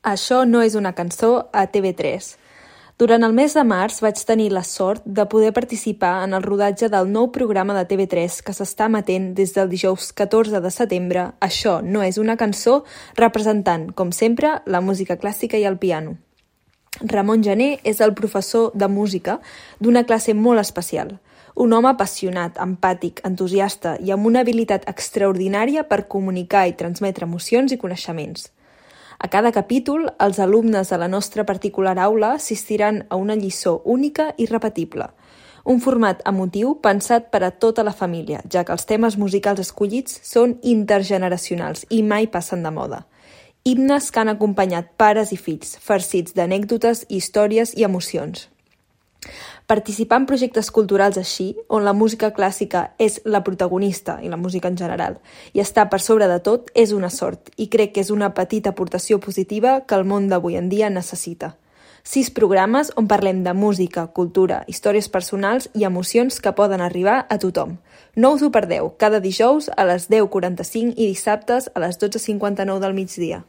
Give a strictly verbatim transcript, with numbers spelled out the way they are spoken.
Això no és una cançó a T V tres. Durant el mes de març vaig tenir la sort de poder participar en el rodatge del nou programa de T V tres que s'està emetent des del dijous catorze de setembre, Això no és una cançó, representant, com sempre, la música clàssica i el piano. Ramon Gené és el professor de música d'una classe molt especial. Un home apassionat, empàtic, entusiasta i amb una habilitat extraordinària per comunicar i transmetre emocions i coneixements. A cada capítol, els alumnes de la nostra particular aula assistiran a una lliçó única i repetible. Un format emotiu pensat per a tota la família, ja que els temes musicals escollits són intergeneracionals i mai passen de moda. Himnes que han acompanyat pares i fills, farcits d'anècdotes, històries i emocions. Participar en projectes culturals així, on la música clàssica és la protagonista i la música en general, i estar per sobre de tot és una sort, i crec que és una petita aportació positiva que el món d'avui en dia necessita. Sis programes on parlem de música, cultura, històries personals i emocions que poden arribar a tothom. No us ho perdeu, cada dijous a les deu quaranta-cinc i dissabtes a les dotze cinquanta-nou del migdia.